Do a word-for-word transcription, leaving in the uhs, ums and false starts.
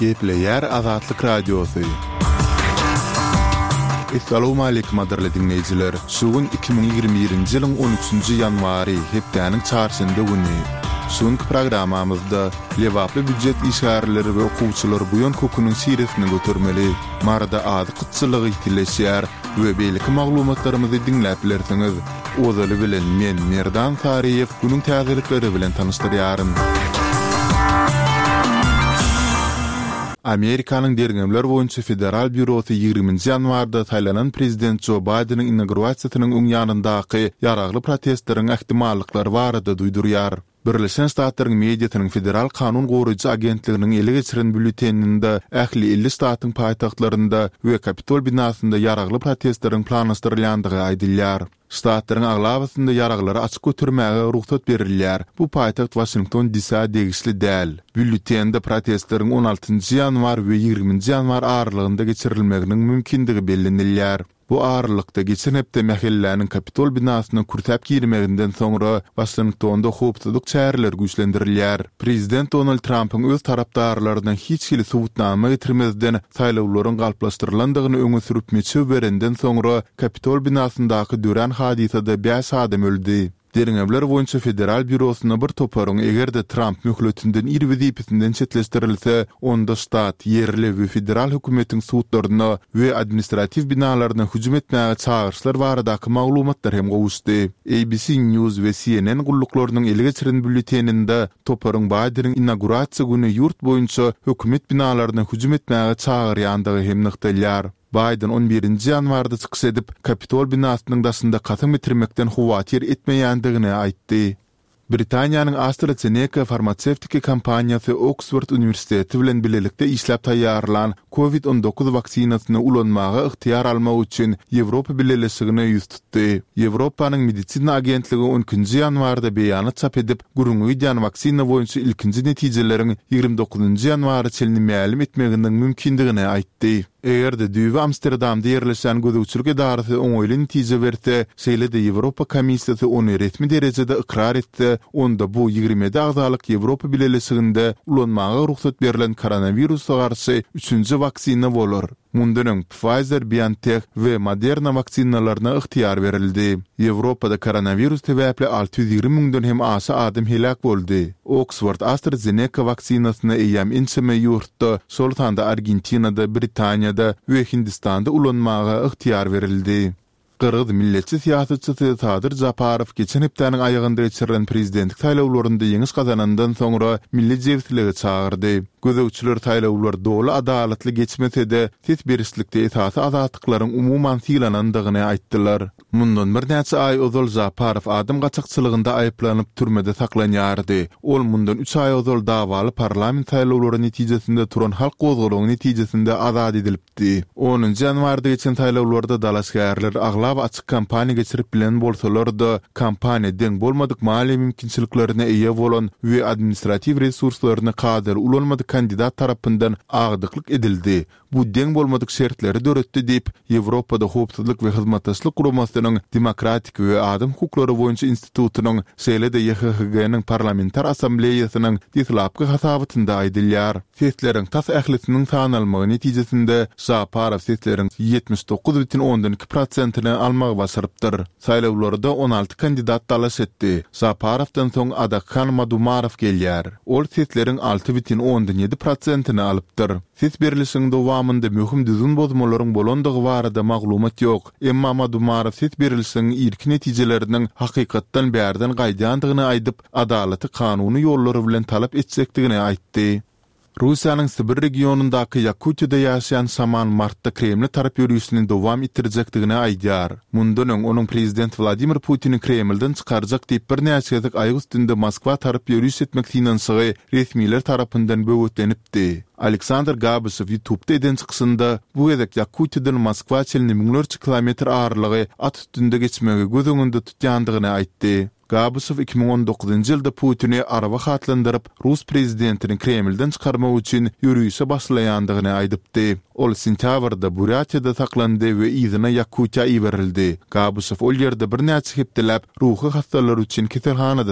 Gepleýär Azatlyk Radiosy. Essalawmaleýkim gadyrly diňleýjiler! Şu gün iki müň ýigrimi birinji ýylyň on üçünji ýanwary, hepdäniň çarşenbe güni. Şu günki programmamyzda lebaply býujet işgärleri we okuwçylar buýan köküniň şiresini götermeli, Maryda azyk gytçylygy ýitileşýär we beýleki maglumatlarymyzy diňläp bilersiňiz. Ozaly bilen men, Merdan Saryýew, günüň täzelikleri bilen tanyşdyrýaryn. Amerikanyň Derňewler boýunça federal býurosy ýigriminji ýanwarda saýlanan prezident Jo Baýdeniň inaugurasiýasynyň öň ýanyndaky ýaragly protestleriň ähtimallyklary barada duýdurýar. Birleşen Ştatlaryň mediasynyň Federal kanun goraýjy agentliginiň ele geçiren býulleteninde ähli elli ştatyň paýtagtlarynda we Kapitol binasynda ýaragly protestleriň planlaşdyrylýandygy aýdylýar. Ştatlaryň aglabasynda ýaraglary açyk götermäge rugsat berilýär, bu paýtagt Waşington DC-ä degişli däl. Býulletende protestleriň on altynjy ýanwar we ýigriminji ýanwar aralygynda geçirilmeginiň mümkindigi bellenilýär. Bu aralykda, geçen hepde mähelläniň Kapitol binasyna kürsäp girmeginden soňra, Waşingtonda howpsuzlyk çäreleri güýçlendirilýär. Prezident Donald Trampyň öz tarapdarlaryna hiç hili subutnama getirmezden saýlawlaryň galplaşdyrylandygyny öňe sürüp meçew berenden soňra, Kapitol binasyndaky dörän hadysada bäş adam öldi. Derňewler boýunça federal býurosyna bir toparyň eger-de Tramp möhletinden ir wezipesinden çetleşdirilse, onda ştat, ýerli we federal hökümetiň sudlaryna we administratiw binalaryna hüjüm etmäge çagyryşlar baradaky maglumatlar hem gowuşdy. A B C News we C N N gulluklarynyň ele geçiren býulleteninde toparyň Baýdeniň inaugurasiýa güni ýurt boýunça hökümet binalaryna hüjüm etmäge çagyrýandygy hem nygtalýar. Baýden on birinji ýanwarda çykyş edip, Kapitol binasynyň daşynda kasam getirmekden howatyr etmeýändigini aýtdy. Britaniýanyň AstraZeneca farmasewtiki kompaniýasy Oksford uniwersiteti bilen bilelikde işläp taýýarlan Covid on dokuz waksinasyny ulanmaga ygtyýar almak üçin Ýewropa Bileleşigine ýüz tutdy. Ýewropanyň medisina agentligi on ikinji ýanwarda beýanat çap edip, gürrüňi gidýän waksina boýunça ilkinji netijeleriň ýigrimi dokuzynjy ýanwara çenli mälim etmeginiň mümkindigini aýtdy. Eger-de düýbi Amsterdamda ýerleşýän gözegçilik edarasy oňaýly netije berse, şeýle-de Ýewropa Komissiýasy ony resmi derejede ykrar etse, onda bu ýigrimi ýedi agzalyk Ýewropa Bileleşiginde ulanmaga rugsat berlen koronawirusa garşy üçünji waksina bolar. Mundan öň Pfizer-BioNTech we Moderna waksinalaryna ygtyýar berildi. Ýewropada koronawirus sebäpli alty ýüz ýigrimi müňden hem aşa adam heläk boldy. Oksford-AstraZeneca waksinasyny eýýäm ençeme ýurtda, şol sanda Argentinada, Britaniýada we Hindistanda ulanmaga ygtyýar berildi. Gyrgyz milletçi syýasatçysy Sadyr Japarow geçen hepdäniň aýagynda geçirilen prezidentlik saýlawlarynda ýeňiş gazanandan soňra milli jebislige çagyrdy. Gözegçiler saýlawlar doly adalatly geçmese-de, ses berişlikde esasy azatlyklaryň umuman sylanandygyny aýtdylar. Mundan birnäçe aý ozal Žaparow adam gaçakçylygynda aýyplanyp, türmede saklanýardy. Ol mundan üç aý ozal dawaly parlament saýlawlary netijesinde turan halk gozgalaňy netijesinde azat edilipdi. Onunjy ýanwarda geçen saýlawlarda dalaşgärler aglaba açyk kampaniýa geçirip bilen bolsalar-da, kampaniýa deň bolmadyk maliýe mümkinçiliklerine eýe bolan we administratiw resurslaryny kadaly ulanmadyk kandidat tarapyndan agdyklyk edildi, bu deň bolmadyk şertleri döretdi diýip, Ýewropada Howpsuzlyk we Hyzmatdaşlyk Guramasynyň Demokratik we adam hukuklary boýunça institutynyň, şeýle-de Y H H G-niň Parlamentar Assambleýasynyň deslapky hasabatynda aýdylýar. Sesleriň tas ählisiniň sanalmagy netijesinde Žaparow sesleriň ýetmiş dokuz bütin ondan iki prosentini almagy başarypdyr. Saýlawlarda on alty kandidat dalaş etdi. Žaparowdan soň Adakhan Madumarow gelýär. Ol sesleriň alty bütin ondan ýedi prosentini alypdyr. Ses berlişigiň dowamynda möhüm düzgün bozmalaryň bolandygy barada maglumat ýok, emma Madumarow ses berlişigiň irki netijeleriniň hakykatdan bärden gaýdýandygyny aýdyp, adalaty kanuny ýollar bilen talap etjekdigini aýtdy. Russiýanyň Sibir regionyndaky Ýakutiýada ýaşaýan şaman martda Kremle tarap ýörişini dowam etdirjekdigini aýdýar. Mundan öň onuň prezident Wladimir Putini Kremlden çykarjak diýip birnäçe gezek aýak üstünde Moskwa tarap ýöriş etmek synanyşygy resmiler tarapyndan böwetlenipdi. Aleksandr Gabyşew YouTube'da eden çykyşynda bu gezek Ýakutiýadan Moskwa çenli müňlerçe kilometr aralygy at üstünde geçmegi göz öňünde tutýandygyny aýtdy. Gabyşew iki müň on dokuzynjy ýylda Putini araba atlandyryp, rus prezidentini Kremlden çykarmak üçin ýörişe başlaýandygyny aýdypdy. Ol sentýabrda Burýatiýada saklandy we yzyna Ýakutiýa iberildi. Gabyşew ol ýerde birnäçe hepdeläp ruhy hassalar üçin keselhanada